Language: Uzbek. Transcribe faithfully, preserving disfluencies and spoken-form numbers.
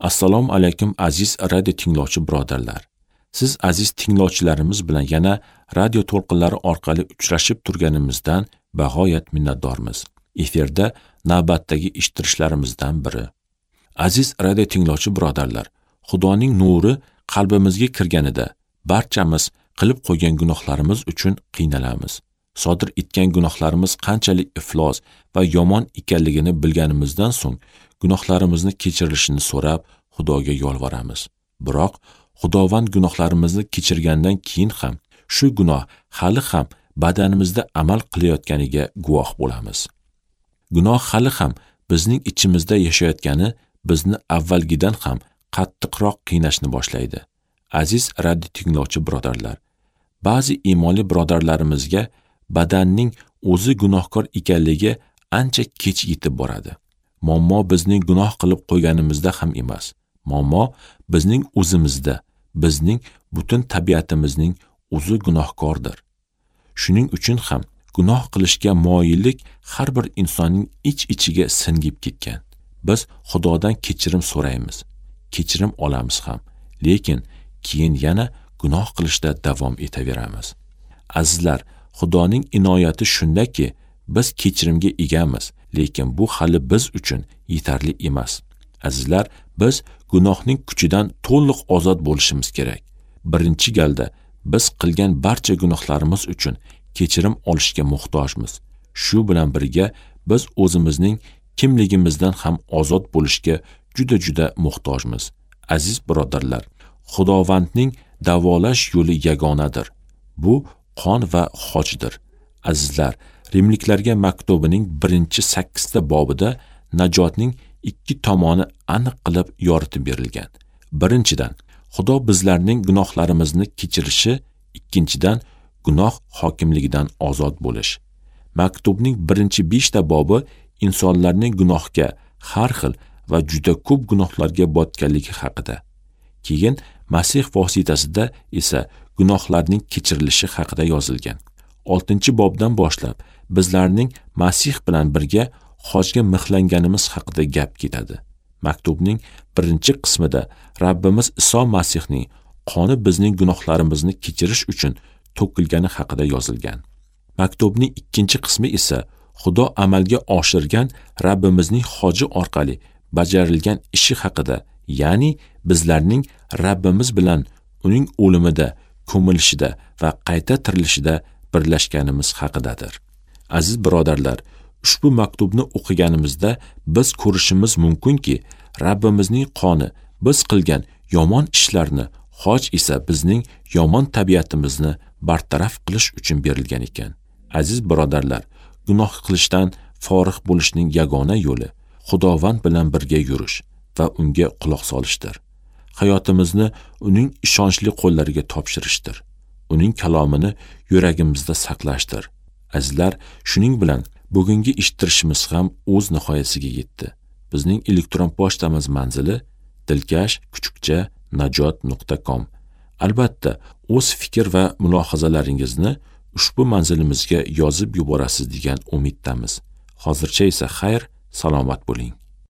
Assalomu alaykum aziz radio tinglovchi birodarlar. Siz aziz tinglovchilarimiz bilan yana radio to'lqinlari orqali uchrashib turganimizdan bag'oyat minnatdormiz. Efirda navbatdagi eshittirishlarimizdan biri. Aziz radio tinglovchi birodarlar, Xudoning nuri qalbimizga kirganida barchamiz qilib qo'ygan gunohlarimiz uchun qiynalamiz. Sodir etgan gunohlarimiz qanchalik iflos va yomon ekanligini bilganimizdan so'ng gunohlarimizni kechirilishini so'rab Xudoga yolvoramiz. Biroq Xudovand gunohlarimizni kechirgandan keyin ham shu gunoh hali ham badanimizda amal qilayotganiga guvoh bo'lamiz. Gunoh hali ham bizning ichimizda yashayotgani bizni avvalgidan ham qattiqroq qiynashni boshlaydi. Aziz radio tinglovchi birodarlar, ba'zi iymonli birodarlarimizga badanning o'zi gunohkor ekanligi ancha kech yetib boradi. Muammo bizning gunoh qilib qo'yganimizda ham emas. Muammo bizning o'zimizda, bizning butun tabiatimizning o'zi gunohkordir. Shuning uchun ham gunoh qilishga moyillik har bir insonning ich-ichiga singib ketgan. Biz Xudodan kechirim so'raymiz, kechirim olamiz ham, lekin keyin yana gunoh qilishda davom etaveramiz. Azizlar, Xudoning inoyati shundaki, biz kechirimga egamiz, lekin bu hali biz uchun yetarli emas. Azizlar, biz gunohning kuchidan to'liq ozod bo'lishimiz kerak. Birinchi galda biz qilgan barcha gunohlarimiz uchun kechirim olishga muhtojmiz. Shu bilan birga biz o'zimizning kimligimizdan ham ozod bo'lishga juda-juda muhtojmiz. Aziz birodarlar, Xudovandning davolash yo'li yagonadir. Bu qon va xochdir. Azizlar, Rimliklarga maktubining birinchi sakkizta bobida najotning ikki tomoni aniq qilib yoritib berilgan. Birinchidan, Xudo bizlarning gunohlarimizni kechirishi, ikkinchidan, gunoh hokimligidan ozod bo'lish. Maktubning birinchi beshta bobi insonlarning gunohga har xil va juda ko'p gunohlarga botganligi haqida. Keyin Masih vositasida esa gunohlarning kechirilishi haqida yozilgan. Oltinchi bobdan boshlab bizlarning Masih bilan birga hojga mixlanganimiz haqida gap ketadi. Maktubning birinchi qismida Rabbimiz Iso Masihning qoni bizning gunohlarimizni kechirish uchun to'kilgani haqida yozilgan. Maktubning ikkinchi qismi esa Xudo amalga oshirgan Rabbimizning hoji orqali bajarilgan ishi haqida, ya'ni bizlarning Rabbimiz bilan uning o'limida, ko'milishida va qayta tirilishida birlashganimiz haqidadir. Aziz birodarlar, ushbu maktubni o'qiganimizda biz ko'rishimiz mumkinki, Rabbimizning qoni biz qilgan yomon ishlarni, hoj esa bizning yomon tabiatimizni bartaraf qilish uchun berilgan ekan. Aziz birodarlar, gunoh qilishdan forig' bo'lishning yagona yo'li Xudovand bilan birga yurish va unga quloq solishdir. Hayotimizni uning ishonchli qo'llariga topshirishdir. Uning kalomini yuragimizda saqlashdir. Azizlar, shuning bilan bugungi eshittirishimiz ham o'z nihoyasiga yetdi. Bizning elektron pochtamiz manzili dilkash kuchukcha najot nuqta com. Albatta, o'z fikr va mulohazalaringizni ushbu manzilimizga yozib yuborasiz degan umiddamiz. Hozircha esa xayr, salomat bo'ling.